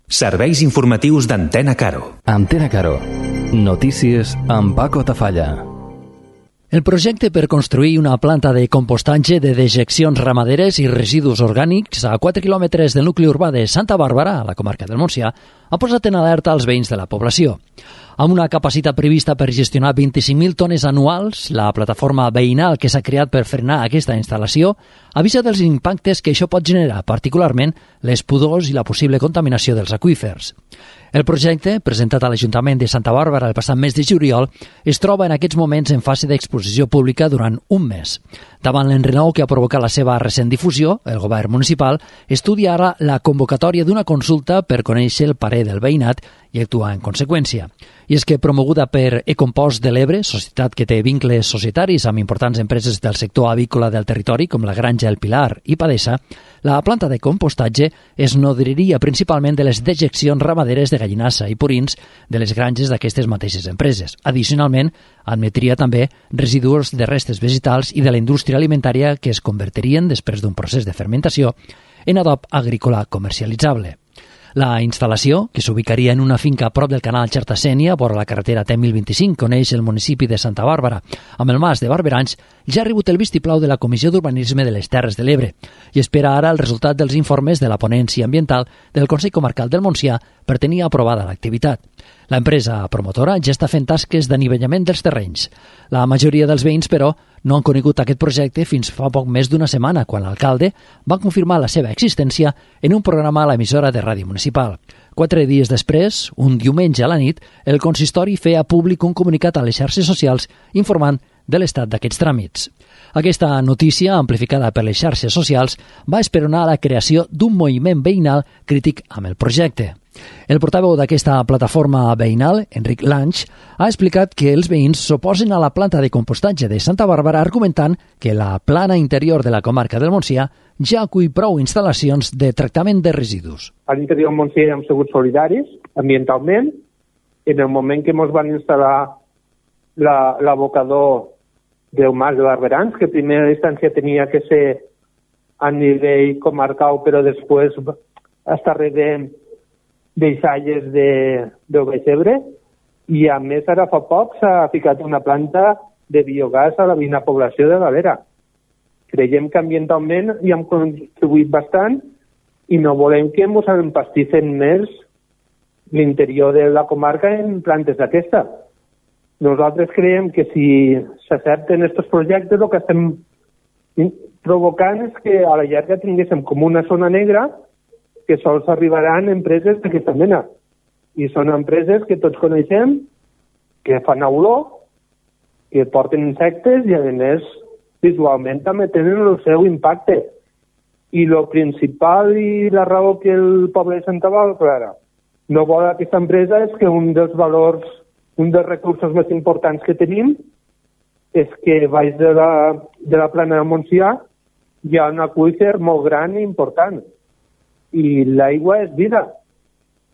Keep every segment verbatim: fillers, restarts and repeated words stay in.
Serveis informatius d'Antena Caro. Antena Caro. Notícies amb Paco Tafalla. El projecte per construir una planta de compostatge de dejeccions ramaderes i residus orgànics a quatre quilòmetres del nucli urbà de Santa Bàrbara, a la comarca del Montsià, ha posat en alerta els veïns de la població. Amb una capacitat prevista per gestionar vint-i-cinc mil tones anuals, la plataforma veïnal que s'ha creat per frenar aquesta instal·lació avisa dels impactes que això pot generar, particularment les pudors i la possible contaminació dels aqüífers. El projecte, presentat a l'Ajuntament de Santa Bàrbara el passat mes de juliol, es troba en aquests moments en fase d'exposició pública durant un mes. Davant l'enrenou que ha provocat la seva recent difusió, el govern municipal estudia ara la convocatòria d'una consulta per conèixer el parer del veïnat i actuar en conseqüència. I és que, promoguda per Ecompost de l'Ebre, societat que té vincles societaris amb importants empreses del sector avícola del territori, com la Granja El Pilar i Padesa, la planta de compostatge es nodriria principalment de les dejeccions ramaderes de gallinassa i purins de les granges d'aquestes mateixes empreses. Addicionalment, admetria també residus de restes vegetals i de la indústria alimentària que es convertirien, després d'un procés de fermentació, en adob agrícola comercialitzable. La instal·lació, que s'ubicaria en una finca a prop del canal Xerta-Sénia, vora la carretera T mil vint-i-cinc, que uneix el municipi de Santa Bàrbara amb el mas de Barberans, ja ha rebut el vistiplau de la Comissió d'Urbanisme de les Terres de l'Ebre i espera ara el resultat dels informes de la ponència ambiental del Consell Comarcal del Montsià per tenir aprovada l'activitat. L'empresa promotora ja està fent tasques d'anivellament dels terrenys. La majoria dels veïns, però, no han conegut aquest projecte fins fa poc més d'una setmana, quan l'alcalde va confirmar la seva existència en un programa a l'emissora de ràdio municipal. Quatre dies després, un diumenge a la nit, el consistori feia públic un comunicat a les xarxes socials informant de l'estat d'aquests tràmits. Aquesta notícia, amplificada per les xarxes socials, va esperonar la creació d'un moviment veïnal crític amb el projecte. El portaveu d'aquesta plataforma veïnal, Enric Lange, ha explicat que els veïns s'oposen a la planta de compostatge de Santa Bàrbara argumentant que la plana interior de la comarca del Montsià ja acull prou instal·lacions de tractament de residus. A l'interior del Montsià hem sigut solidaris ambientalment. En el moment que ens van instal·lar la, l'abocador del mas de Barberans, que en primera instància tenia que ser a nivell comarcal, però després està darrere deixalles de, del Baix Ebre, i a més ara fa poc s'ha ficat una planta de biogàs a la veïna població de Galera. Creiem que ambientalment hi hem contribuït bastant i no volem que ens empastissen més l'interior de la comarca en plantes d'aquesta. Nosaltres creiem que si s'accepten aquests projectes el que estem provocant és que a la llarga tinguéssim com una zona negra que sols arribaran empreses d'aquesta mena. I són empreses que tots coneixem, que fan olor, que porten insectes i, a més, visualment també tenen el seu impacte. I el principal i la raó que el poble de Santa Bàrbara no vol aquesta empresa és que un dels valors, un dels recursos més importants que tenim és que baix de la, de la plana de Montsià hi ha un aqüífer molt gran i important. I l'aigua és vida.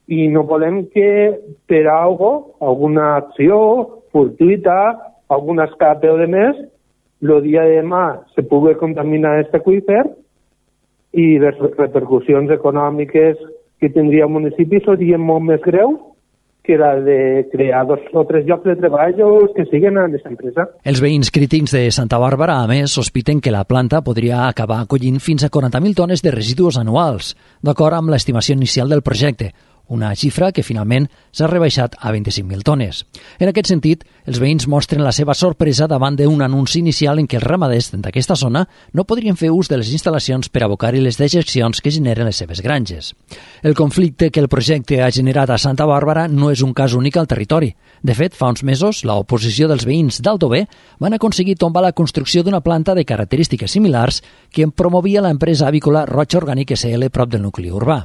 I no volem que per algo, alguna acció fortuita, algun escape o de més, el dia de demà se pugui contaminar aquest aqüífer i les repercussions econòmiques que tindria el municipi serien molt més greus que la de crear dos o tres llocs de treball que siguen a aquesta empresa. Els veïns crítics de Santa Bàrbara, a més, sospiten que la planta podria acabar acollint fins a quaranta mil tones de residus anuals, d'acord amb l'estimació inicial del projecte, una xifra que finalment s'ha rebaixat a vint-i-cinc mil tones. En aquest sentit, els veïns mostren la seva sorpresa davant d'un anunci inicial en què els ramaders d'aquesta zona no podrien fer ús de les instal·lacions per abocar-hi les dejeccions que generen les seves granges. El conflicte que el projecte ha generat a Santa Bàrbara no és un cas únic al territori. De fet, fa uns mesos, l'oposició dels veïns d'Aldover van aconseguir tombar la construcció d'una planta de característiques similars que en promovia l'empresa avícola Roig Orgànic S L prop del nucli urbà.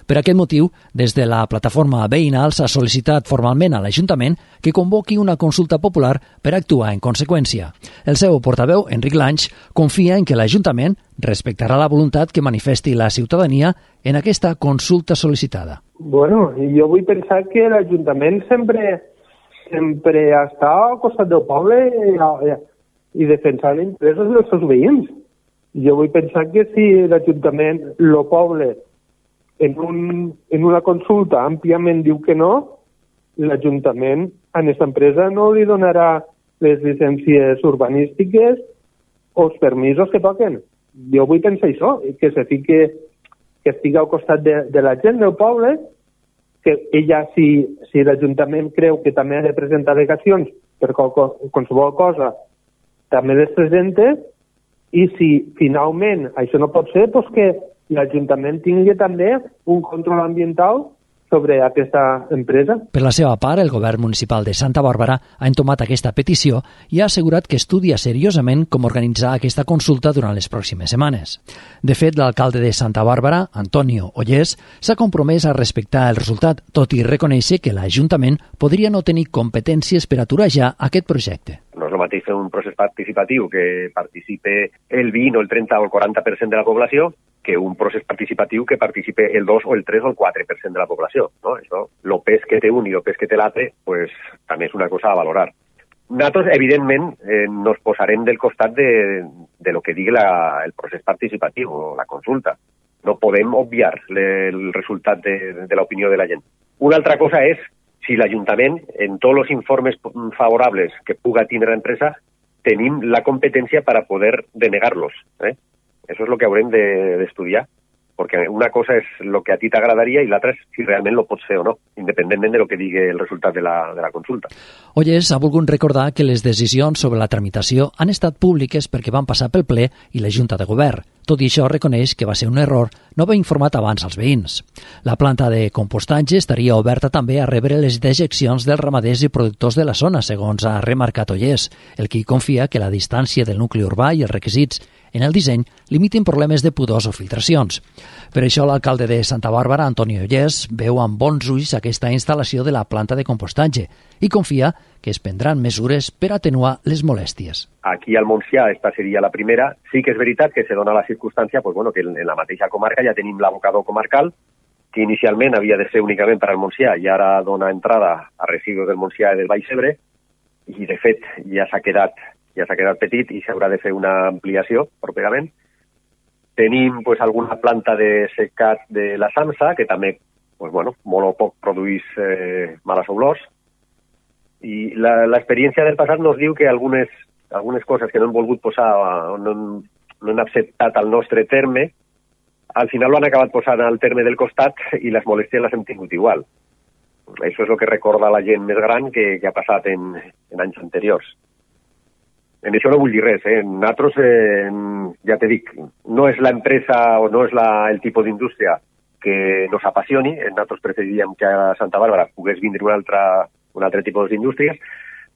Per aquest motiu, des de la plataforma veïnal s'ha sol·licitat formalment a l'Ajuntament que convoqui una consulta popular per actuar en conseqüència. El seu portaveu, Enric Lange, confia en que l'Ajuntament respectarà la voluntat que manifesti la ciutadania en aquesta consulta sol·licitada. Bueno, jo vull pensar que l'Ajuntament sempre, sempre està al costat del poble i, i defensar els interessos dels seus veïns. Jo vull pensar que si l'Ajuntament, el poble, en, un, en una consulta àmpliament diu que no, l'Ajuntament a aquesta empresa no li donarà les llicències urbanístiques o els permisos que toquen. Jo vull pensar això, que se fique, que estigui al costat de, de la gent del poble, que ella, si, si l'Ajuntament creu que també ha de presentar al·legacions per qualsevol cosa, també les presente, i si finalment això no pot ser, doncs que l'Ajuntament tingui també un control ambiental sobre aquesta empresa. Per la seva part, el govern municipal de Santa Bàrbara ha entomat aquesta petició i ha assegurat que estudia seriosament com organitzar aquesta consulta durant les pròximes setmanes. De fet, l'alcalde de Santa Bàrbara, Antonio Ollés, s'ha compromès a respectar el resultat, tot i reconèixer que l'Ajuntament podria no tenir competències per aturar ja aquest projecte. No és el mateix fer un procés participatiu que participe el vint o el trenta o el quaranta per cent de la població que un procés participatiu que participe el dos o el tres o el quatre per cent de la població. No? Això, el pes que té un i el pes que té l'altre, pues, també és una cosa a valorar. Nosaltres, evidentment, eh, nos posarem del costat de, de lo que digui la, el procés participatiu o la consulta. No podem obviar le, el resultat de, de l'opinió de la gent. Una altra cosa és si l'Ajuntament, en tots els informes favorables que puga tindre l'empresa, tenim la competència per a poder denegar-los. Eh? Eso es lo que haurem d'estudiar, de, perquè una cosa és el que a ti t'agradaria i l'altra és si realment lo pots fer o no, independentment de lo que digui el resultat de la, de la consulta. Ollés ha volgut recordar que les decisions sobre la tramitació han estat públiques perquè van passar pel ple i la Junta de Govern. Tot i això reconeix que va ser un error no haver informat abans als veïns. La planta de compostatge estaria oberta també a rebre les dejeccions dels ramaders i productors de la zona, segons ha remarcat Ollés, el qui confia que la distància del nucli urbà i els requisits en el disseny limitin problemes de pudors o filtracions. Per això l'alcalde de Santa Bàrbara, Antonio Ollés, veu amb bons ulls aquesta instal·lació de la planta de compostatge i confia que es prendran mesures per atenuar les molèsties. Aquí al Montsià esta seria la primera. Sí que és veritat que se dona la circumstància pues, bueno, que en la mateixa comarca ja tenim l'abocador comarcal, que inicialment havia de ser únicament per al Montsià i ara dona entrada a residus del Montsià i del Baix Ebre, i de fet ja s'ha quedat ja s'ha quedat petit i s'haurà de fer una ampliació properament. Tenim pues, alguna planta de secat de la Samsa, que també pues, bueno, molt o poc produeix eh, males olors. I l'experiència del passat nos diu que algunes, algunes coses que no hem volgut posar o no, no hem acceptat al nostre terme, al final lo han acabat posant al terme del costat i les molèsties les hem tingut igual. Això és el que recorda la gent més gran que, que ha passat en, en anys anteriors. En això no vull dir res, eh? Nosaltres, eh, ja te dic, no és l'empresa o no és la, el tipus d'indústria que nos apassioni. Nosaltres preferiríem que a Santa Bàrbara pogués vindre un altre, un altre tipus d'indústries,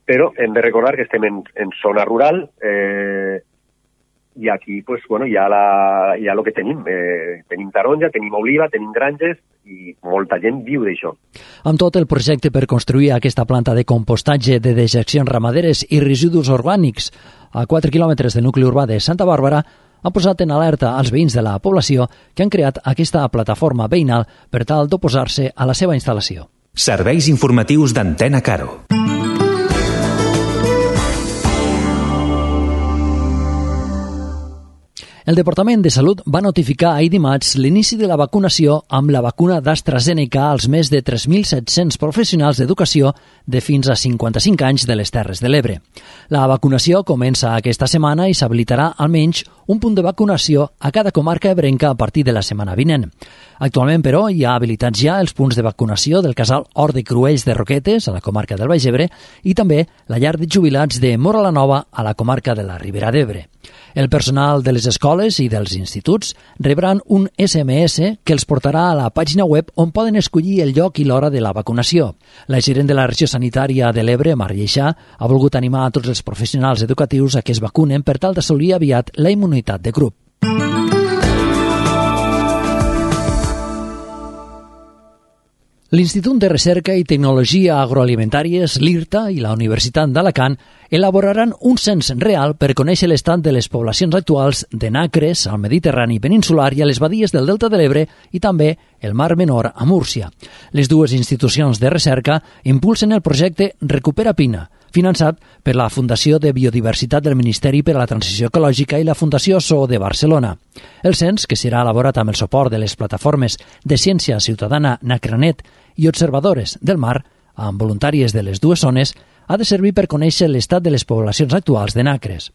però hem de recordar que estem en, en zona rural eh, i aquí pues, bueno, hi ha, la, hi ha el que tenim. Eh, tenim taronja, tenim oliva, tenim granges i molta gent viu d'això. Amb tot, el projecte per construir aquesta planta de compostatge de dejeccions ramaderes i residus orgànics a quatre quilòmetres del nucli urbà de Santa Bàrbara ha posat en alerta als veïns de la població que han creat aquesta plataforma veïnal per tal d'oposar-se a la seva instal·lació. Serveis informatius d'Antena Caro. El Departament de Salut va notificar ahir dimarts l'inici de la vacunació amb la vacuna d'AstraZeneca als més de tres mil set-cents professionals d'educació de fins a cinquanta-cinc anys de les Terres de l'Ebre. La vacunació comença aquesta setmana i s'habilitarà almenys un punt de vacunació a cada comarca ebrenca a partir de la setmana vinent. Actualment, però, hi ha habilitats ja els punts de vacunació del casal Hort de Cruells de Roquetes, a la comarca del Baix Ebre, i també la llar de jubilats de Móra la Nova, a la comarca de la Ribera d'Ebre. El personal de les escoles i dels instituts rebran un esse eme esse que els portarà a la pàgina web on poden escollir el lloc i l'hora de la vacunació. La gerent de la regió sanitària de l'Ebre, Mar Lleixà, ha volgut animar a tots els professionals educatius a que es vacunen per tal d'assolir aviat la immunitat de grup. L'Institut de Recerca i Tecnologia Agroalimentàries, l'IRTA, i la Universitat d'Alacant elaboraran un cens real per conèixer l'estat de les poblacions actuals de nacres al Mediterrani peninsular i a les badies del Delta de l'Ebre i també el Mar Menor a Múrcia. Les dues institucions de recerca impulsen el projecte Recupera Pina, finançat per la Fundació de Biodiversitat del Ministeri per a la Transició Ecològica i la Fundació S O de Barcelona. El cens, que serà elaborat amb el suport de les plataformes de ciència ciutadana Nacranet i observadores del mar, amb voluntàries de les dues zones, ha de servir per conèixer l'estat de les poblacions actuals de nacres.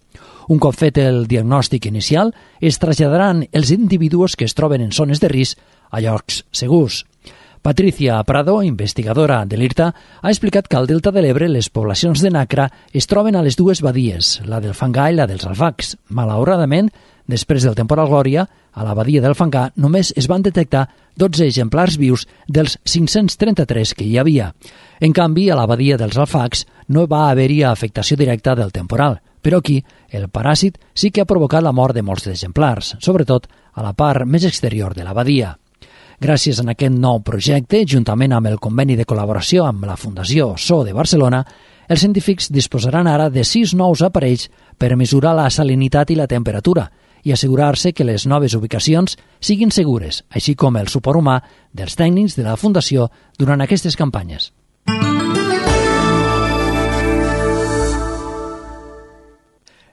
Un cop fet el diagnòstic inicial, es traslladaran els individus que es troben en zones de risc a llocs segurs. Patricia Prado, investigadora de l'I R T A, ha explicat que al Delta de l'Ebre les poblacions de nacra es troben a les dues badies, la del Fangar i la dels Alfacs. Malauradament, després del temporal Glòria, a la badia del Fangar només es van detectar dotze exemplars vius dels cinc-cents trenta-tres que hi havia. En canvi, a la badia dels Alfacs no va haver-hi afectació directa del temporal, però aquí el paràsit sí que ha provocat la mort de molts exemplars, sobretot a la part més exterior de la badia. Gràcies a aquest nou projecte, juntament amb el conveni de col·laboració amb la Fundació S O de Barcelona, els científics disposaran ara de sis nous aparells per mesurar la salinitat i la temperatura i assegurar-se que les noves ubicacions siguin segures, així com el suport humà dels tècnics de la Fundació durant aquestes campanyes.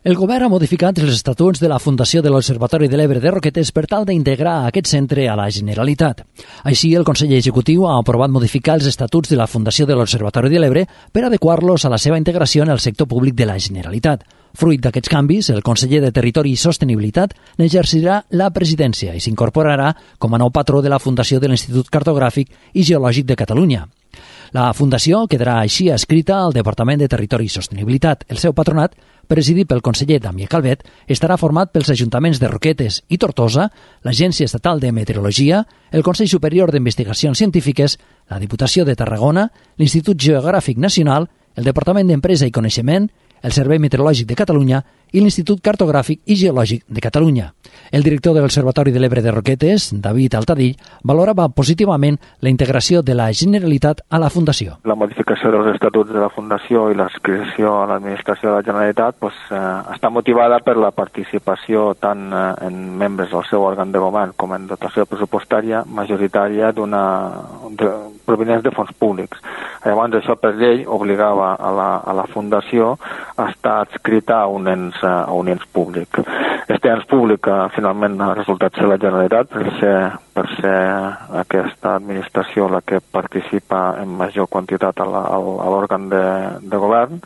El govern ha modificat els estatuts de la Fundació de l'Observatori de l'Ebre de Roquetes per tal d'integrar aquest centre a la Generalitat. Així, el Consell Executiu ha aprovat modificar els estatuts de la Fundació de l'Observatori de l'Ebre per adequar-los a la seva integració en el sector públic de la Generalitat. Fruit d'aquests canvis, el conseller de Territori i Sostenibilitat n'exercirà la presidència i s'incorporarà com a nou patró de la Fundació de l'Institut Cartogràfic i Geològic de Catalunya. La Fundació quedarà així adscrita al Departament de Territori i Sostenibilitat. El seu patronat, presidit pel conseller Damià Calvet, estarà format pels ajuntaments de Roquetes i Tortosa, l'Agència Estatal de Meteorologia, el Consell Superior d'Investigacions Científiques, la Diputació de Tarragona, l'Institut Geogràfic Nacional, el Departament d'Empresa i Coneixement, el Servei Meteorològic de Catalunya i l'Institut Cartogràfic i Geològic de Catalunya. El director de l'Observatori de l'Ebre de Roquetes, David Altadill, valorava positivament la integració de la Generalitat a la Fundació. La modificació dels estatuts de la Fundació i l'adscripció a l'administració de la Generalitat pues, eh, està motivada per la participació tant eh, en membres del seu òrgan de govern com en dotació pressupostària majoritària d'una de, provinents de fons públics. Llavors, això per llei obligava a la, a la Fundació a estar adscrita a un ens, a un ens públic. Este ens públic eh, finalment ha resultat ser la Generalitat per ser, per ser aquesta administració la que participa en major quantitat a l'òrgan de, de govern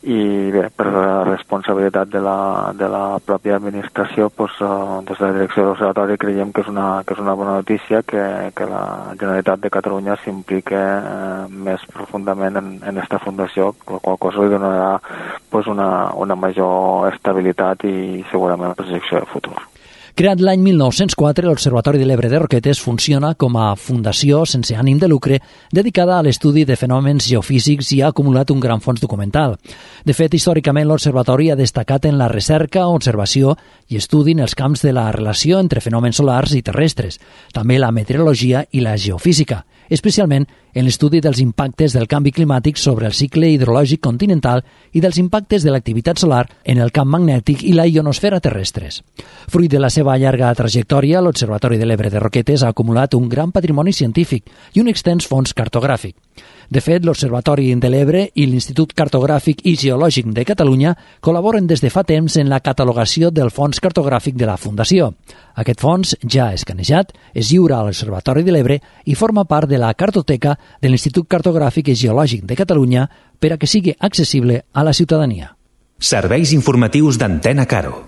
i bé, per la responsabilitat de la, de la pròpia administració pues, eh, des de la direcció de l'Observatori creiem que és una, que és una bona notícia que, que la Generalitat de Catalunya s'impliqui eh, més profundament en, en esta fundació, la qual cosa li donarà pues, una, una major estabilitat i segurament projecció de futur. Creat l'any mil nou-cents quatre, l'Observatori de l'Ebre de Roquetes funciona com a fundació sense ànim de lucre dedicada a l'estudi de fenòmens geofísics i ha acumulat un gran fons documental. De fet, històricament l'Observatori ha destacat en la recerca, observació i estudi en els camps de la relació entre fenòmens solars i terrestres, també la meteorologia i la geofísica, especialment en l'estudi dels impactes del canvi climàtic sobre el cicle hidrològic continental i dels impactes de l'activitat solar en el camp magnètic i la ionosfera terrestres. Fruit de la seva llarga trajectòria, l'Observatori de l'Ebre de Roquetes ha acumulat un gran patrimoni científic i un extens fons cartogràfic. De fet, l'Observatori de l'Ebre i l'Institut Cartogràfic i Geològic de Catalunya col·laboren des de fa temps en la catalogació del fons cartogràfic de la Fundació. Aquest fons, ja escanejat, es lliura a l'Observatori de l'Ebre i forma part de la cartoteca de l'Institut Cartogràfic i Geològic de Catalunya per a que sigui accessible a la ciutadania. Serveis informatius d'Antena Caro.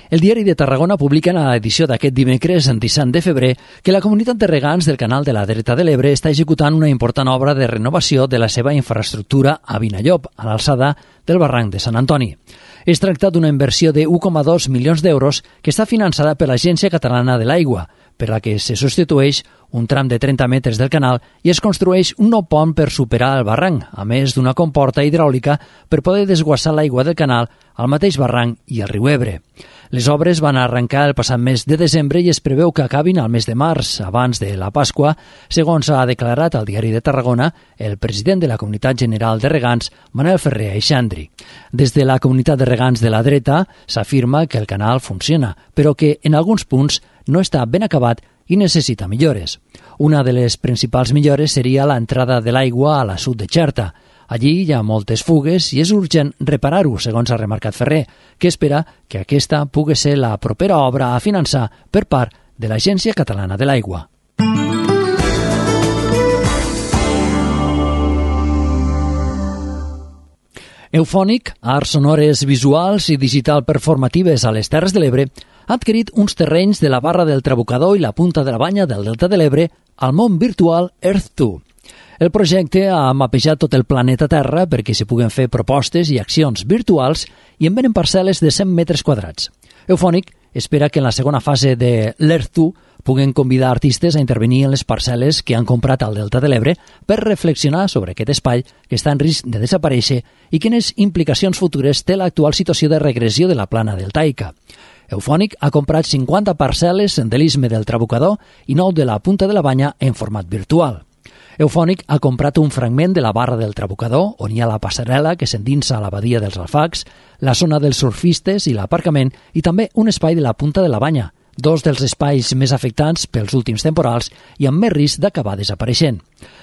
El Diari de Tarragona publica en l'edició d'aquest dimecres, disset de febrer, que la comunitat de regants del canal de la Dreta de l'Ebre està executant una important obra de renovació de la seva infraestructura a Vinallop, a l'alçada del barranc de Sant Antoni. Es tracta d'una inversió de un coma dos milions d'euros que està finançada per l'Agència Catalana de l'Aigua, per la que se substitueix un tram de trenta metres del canal i es construeix un nou pont per superar el barranc, a més d'una comporta hidràulica per poder desguassar l'aigua del canal al mateix barranc i al riu Ebre. Les obres van arrencar el passat mes de desembre i es preveu que acabin al mes de març, abans de la Pasqua, segons ha declarat al Diari de Tarragona el president de la Comunitat General de Regants, Manel Ferrer Aixandri. Des de la Comunitat de Regants de la Dreta s'afirma que el canal funciona, però que en alguns punts no està ben acabat i necessita millores. Una de les principals millores seria l'entrada de l'aigua a l'assut de Xerta. Allí hi ha moltes fugues i és urgent reparar-ho, segons ha remarcat Ferrer, que espera que aquesta pugui ser la propera obra a finançar per part de l'Agència Catalana de l'Aigua. Eufònic, arts sonores visuals i digital performatives a les Terres de l'Ebre, ha adquirit uns terrenys de la Barra del Trabucador i la Punta de la Banya del Delta de l'Ebre al món virtual Earth dos. El projecte ha mapejat tot el planeta Terra perquè s'hi puguen fer propostes i accions virtuals i en venen parcel·les de cent metres quadrats. Eufònic espera que en la segona fase de l'Earth dos puguen convidar artistes a intervenir en les parcel·les que han comprat al Delta de l'Ebre per reflexionar sobre aquest espai que està en risc de desaparèixer i quines implicacions futures té l'actual situació de regressió de la plana deltaica. Eufònic ha comprat cinquanta parcel·les de l'Istme del Trabucador i nou de la Punta de la Banya en format virtual. Eufònic ha comprat un fragment de la Barra del Trabucador, on hi ha la passarel·la que s'endinsa a la badia dels Alfacs, la zona dels surfistes i l'aparcament, i també un espai de la Punta de la Banya, dos dels espais més afectats pels últims temporals i amb més risc d'acabar desapareixent.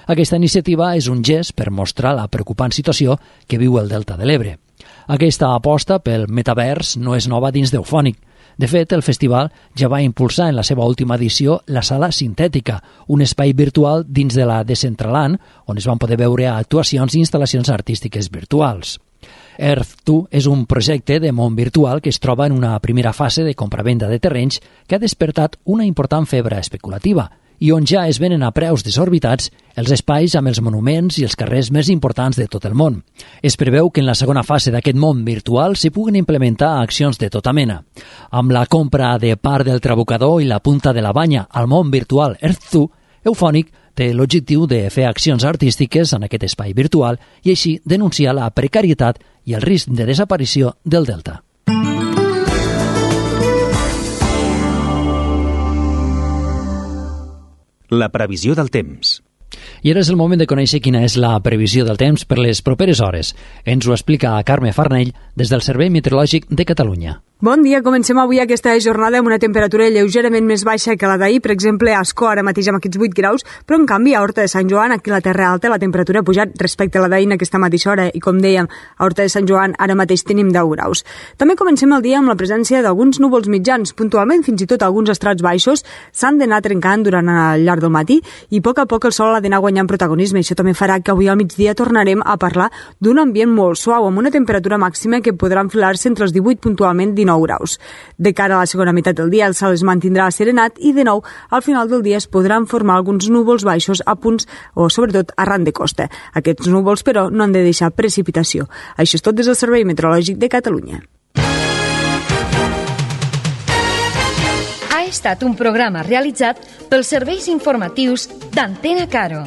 Aquesta iniciativa és un gest per mostrar la preocupant situació que viu el Delta de l'Ebre. Aquesta aposta pel metavers no és nova dins d'Eufònic. De fet, el festival ja va impulsar en la seva última edició la Sala Sintètica, un espai virtual dins de la Decentraland, on es van poder veure actuacions i instal·lacions artístiques virtuals. Earth dos és un projecte de món virtual que es troba en una primera fase de compra-venda de terrenys que ha despertat una important febre especulativa i on ja es venen a preus desorbitats els espais amb els monuments i els carrers més importants de tot el món. Es preveu que en la segona fase d'aquest món virtual s'hi puguen implementar accions de tota mena. Amb la compra de part del Trabucador i la Punta de la Banya al món virtual Earth dos, Eufònic té l'objectiu de fer accions artístiques en aquest espai virtual i així denunciar la precarietat i el risc de desaparició del Delta. La previsió del temps. I ara és el moment de conèixer quina és la previsió del temps per les properes hores. Ens ho explica Carme Farnell des del Servei Meteorològic de Catalunya. Bon dia, comencem avui aquesta jornada amb una temperatura lleugerament més baixa que la d'ahir, per exemple a Ascó ara mateix amb aquests vuit graus, però en canvi a Horta de Sant Joan, aquí a la Terra Alta, la temperatura ha pujat respecte a la d'ahir en aquesta mateixa hora i com dèiem, a Horta de Sant Joan ara mateix tenim deu graus. També comencem el dia amb la presència d'alguns núvols mitjans, puntualment fins i tot alguns estrats baixos s'han d'anar trencant durant el llarg del matí i a poc a poc el sol ha d'anar guanyant protagonisme. Això també farà que avui al migdia tornarem a parlar d'un ambient molt suau amb una temperatura màxima que podrà enfilar-se entre els divuit puntualment dinou graus. De cara a la segona meitat del dia el cel es mantindrà asserenat i de nou al final del dia es podran formar alguns núvols baixos a punts o sobretot arran de costa. Aquests núvols però no han de deixar precipitació. Això és tot des del Servei Meteorològic de Catalunya. Ha estat un programa realitzat pels serveis informatius d'Antena Caro.